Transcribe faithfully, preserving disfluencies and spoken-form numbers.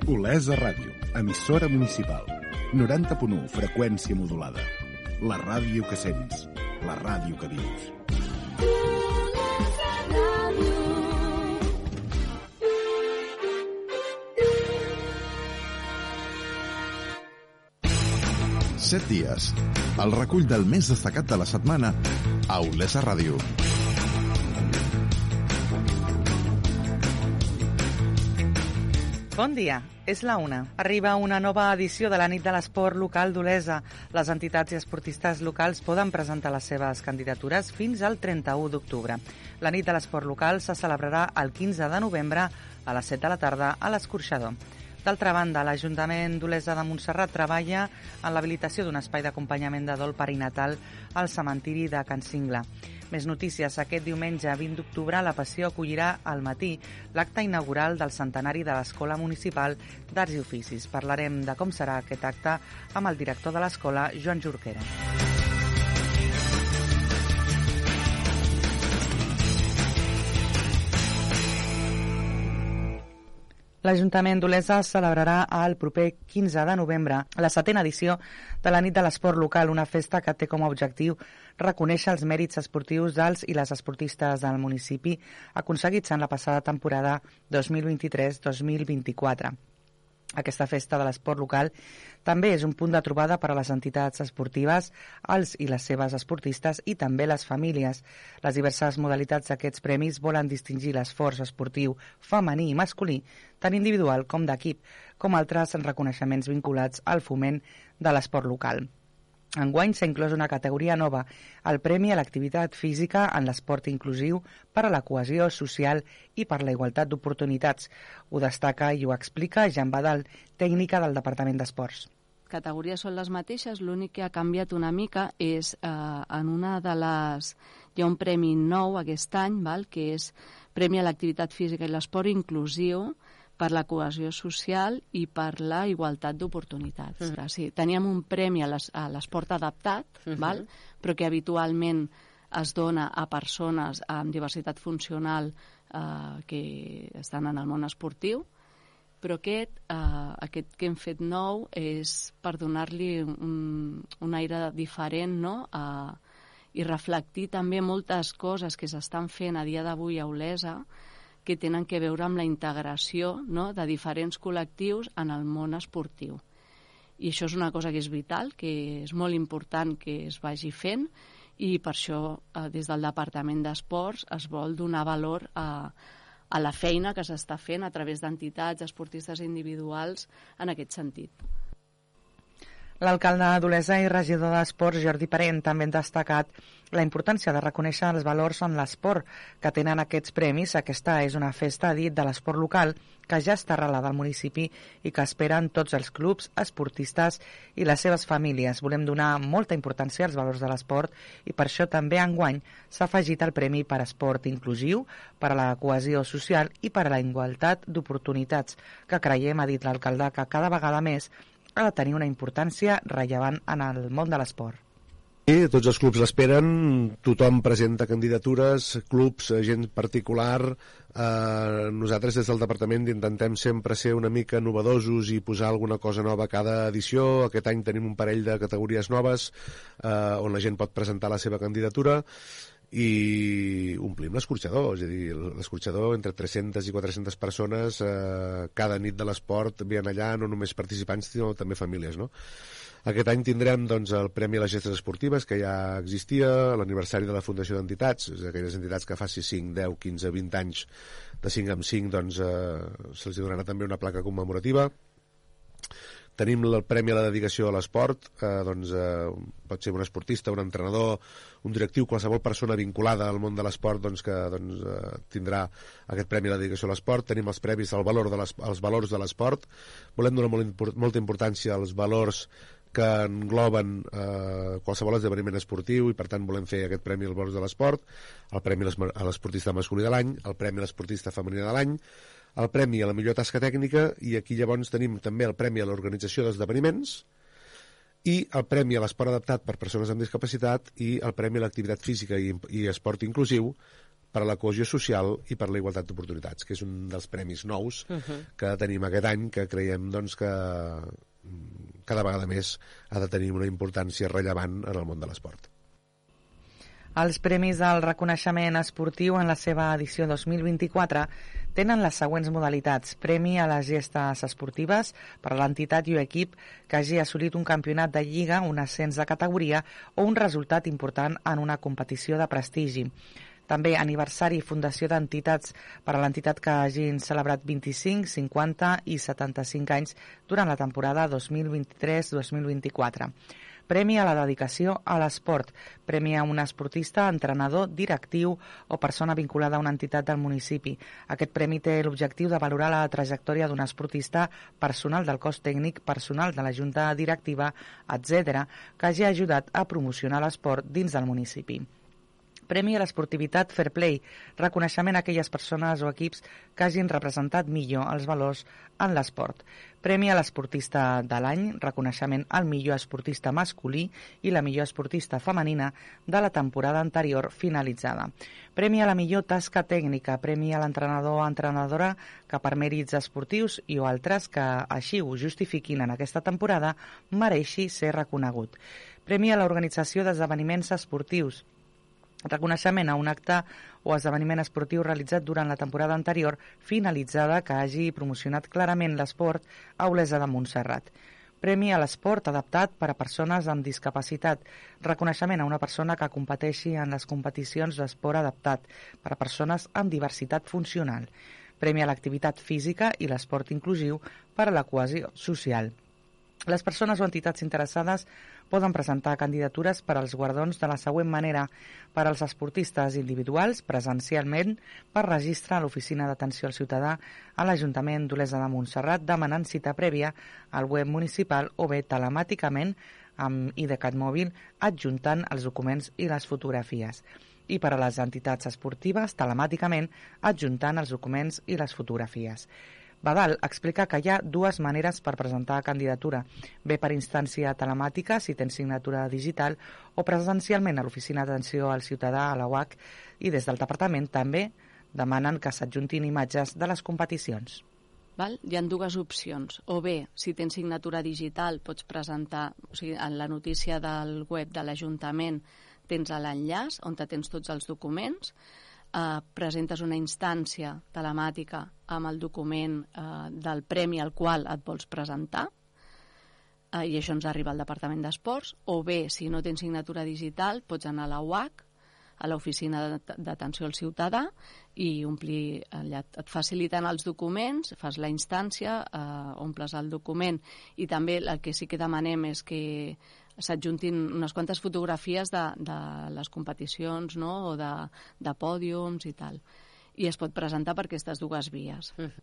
Olesa Ràdio, emissora municipal. noranta punt u, freqüència modulada. La ràdio que sents, la ràdio que vius. Set dies. El recull del més destacat de la setmana a Olesa Ràdio. Bon dia, és la una. Arriba una nova edició de la nit de l'esport local d'Olesa. Les entitats i esportistes locals poden presentar les seves candidatures fins al trenta-u d'octubre. La nit de l'esport local se celebrarà el quinze de novembre a les set de la tarda a l'Escorxador. D'altra banda, l'Ajuntament d'Olesa de Montserrat treballa en l'habilitació d'un espai d'acompanyament de dol perinatal al cementiri de Can Singla. Més notícies. Aquest diumenge vint d'octubre la Passió acollirà al matí l'acte inaugural del centenari de l'Escola Municipal d'Arts i Oficis. Parlarem de com serà aquest acte amb el director de l'escola, Joan Jorquera. L'Ajuntament d'Olesa celebrarà el proper quinze de novembre la setena edició de la nit de l'esport local, una festa que té com a objectiu reconèixer els mèrits esportius dels i les esportistes del municipi aconseguits en la passada temporada dos mil vint-i-tres dos mil vint-i-quatre. Aquesta festa de l'esport local també és un punt de trobada per a les entitats esportives, els i les seves esportistes i també les famílies. Les diverses modalitats d'aquests premis volen distingir l'esforç esportiu femení i masculí, tant individual com d'equip, com altres reconeixements vinculats al foment de l'esport local. Enguany s'ha inclòs una categoria nova, el Premi a l'Activitat Física en l'Esport Inclusiu per a la cohesió social i per la igualtat d'oportunitats. Ho destaca i ho explica Jean Badal, tècnica del Departament d'Esports. Les categories són les mateixes, l'únic que ha canviat una mica és eh, en una de les... Hi ha un premi nou aquest any, val? Que és Premi a l'Activitat Física i l'Esport Inclusiu per la cohesió social i per la igualtat d'oportunitats. Uh -huh. Sí, teníem un premi a l'esport adaptat, uh -huh. val? Però que habitualment es dona a persones amb diversitat funcional eh, que estan en el món esportiu, però aquest, eh, aquest que hem fet nou és per donar-li un, un aire diferent, no?, eh, i reflectir també moltes coses que s'estan fent a dia d'avui a Olesa que tenen que veure amb la integració, no?, de diferents col·lectius en el món esportiu. I això és una cosa que és vital, que és molt important que es vagi fent, i per això eh, des del Departament d'Esports es vol donar valor a, a la feina que s'està fent a través d'entitats, esportistes individuals en aquest sentit. L'alcalde d'Olesa i regidor d'Esports, Jordi Parent, també han destacat la importància de reconèixer els valors en l'esport que tenen aquests premis. Aquesta és una festa, ha dit, de l'esport local que ja està arrelada al municipi i que esperen tots els clubs, esportistes i les seves famílies. Volem donar molta importància als valors de l'esport i per això també enguany s'ha afegit el Premi per Esport Inclusiu, per a la cohesió social i per a la igualtat d'oportunitats, que creiem, ha dit l'alcalde, que cada vegada més ha de tenir una importància rellevant en el món de l'esport. Sí, tots els clubs l'esperen, tothom presenta candidatures, clubs, gent particular. Eh, nosaltres des del departament intentem sempre ser una mica novedosos i posar alguna cosa nova a cada edició. Aquest any tenim un parell de categories noves eh, on la gent pot presentar la seva candidatura i omplim l'escorxador, és a dir, l'escorxador entre tres-centes i quatre-centes persones eh, cada nit de l'esport venen allà, no només participants sinó també famílies, no? Aquest any tindrem doncs, el Premi a les Gestes Esportives, que ja existia, l'aniversari de la Fundació d'Entitats, és aquelles entitats que faci cinc, deu, quinze, vint anys, de cinc en cinc, doncs eh, se'ls donarà també una placa commemorativa. Tenim el Premi a la Dedicació a l'Esport, eh, doncs, eh, pot ser un esportista, un entrenador, un directiu, qualsevol persona vinculada al món de l'esport doncs, que doncs, eh, tindrà aquest Premi a la Dedicació a l'Esport. Tenim els premis al valor de als valors de l'esport. Volem donar molt import, molta importància als valors que engloben eh, qualsevol esdeveniment esportiu i per tant volem fer aquest Premi als valors de l'esport, el Premi a l'esportista masculí de l'any, el Premi a l'esportista femení de l'any, el Premi a la millor tasca tècnica, i aquí llavors tenim també el Premi a l'organització d'esdeveniments i el Premi a l'esport adaptat per persones amb discapacitat i el Premi a l'activitat física i, i esport inclusiu per a la cohesió social i per a la igualtat d'oportunitats, que és un dels premis nous uh-huh. que tenim aquest any, que creiem doncs, que cada vegada més ha de tenir una importància rellevant en el món de l'esport. Els premis del reconeixement esportiu en la seva edició dos mil vint-i-quatre tenen les següents modalitats. Premi a les gestes esportives per a l'entitat i o equip que hagi assolit un campionat de lliga, un ascens de categoria o un resultat important en una competició de prestigi. També aniversari i fundació d'entitats per a l'entitat que hagin celebrat vint-i-cinc, cinquanta i setanta-cinc anys durant la temporada dos mil vint-i-tres dos mil vint-i-quatre. Premi a la dedicació a l'esport. Premi a un esportista, entrenador, directiu o persona vinculada a una entitat del municipi. Aquest premi té l'objectiu de valorar la trajectòria d'un esportista, personal del cos tècnic, personal de la junta directiva, etcètera, que hagi ajudat a promocionar l'esport dins del municipi. Premi a l'esportivitat Fair Play, reconeixement a aquelles persones o equips que hagin representat millor els valors en l'esport. Premi a l'esportista de l'any, reconeixement al millor esportista masculí i la millor esportista femenina de la temporada anterior finalitzada. Premi a la millor tasca tècnica, premi a l'entrenador o entrenadora que per mèrits esportius i o altres que així ho justifiquin en aquesta temporada mereixi ser reconegut. Premi a l'organització d'esdeveniments esportius, reconeixement a un acte o esdeveniment esportiu realitzat durant la temporada anterior finalitzada que hagi promocionat clarament l'esport a Olesa de Montserrat. Premi a l'esport adaptat per a persones amb discapacitat. Reconeixement a una persona que competeixi en les competicions d'esport adaptat per a persones amb diversitat funcional. Premi a l'activitat física i l'esport inclusiu per a la cohesió social. Les persones o entitats interessades poden presentar candidatures per als guardons de la següent manera: per als esportistes individuals, presencialment, per registre a l'Oficina d'Atenció al Ciutadà a l'Ajuntament d'Olesa de Montserrat demanant cita prèvia al web municipal o bé telemàticament amb IDCAT mòbil adjuntant els documents i les fotografies. I per a les entitats esportives, telemàticament adjuntant els documents i les fotografies. Badal explica que hi ha dues maneres per presentar candidatura, bé per instància telemàtica, si tens signatura digital, o presencialment a l'Oficina d'Atenció al Ciutadà, a la U A C, i des del Departament també demanen que s'adjuntin imatges de les competicions. Val? Hi ha dues opcions. O bé, si tens signatura digital, pots presentar, o sigui, en la notícia del web de l'Ajuntament tens l'enllaç on tens tots els documents, Uh, presentes una instància telemàtica amb el document uh, del premi al qual et vols presentar uh, i això ens arriba al Departament d'Esports, o bé, si no tens signatura digital, pots anar a la U A C, a l'Oficina d'Atenció al Ciutadà, i omplir, allà et faciliten els documents, fas la instància, uh, omples el document, i també el que sí que demanem és que s'adjuntin unes quantes fotografies de, de les competicions, no? O de, de pòdiums i tal. I es pot presentar per aquestes dues vies. Mm.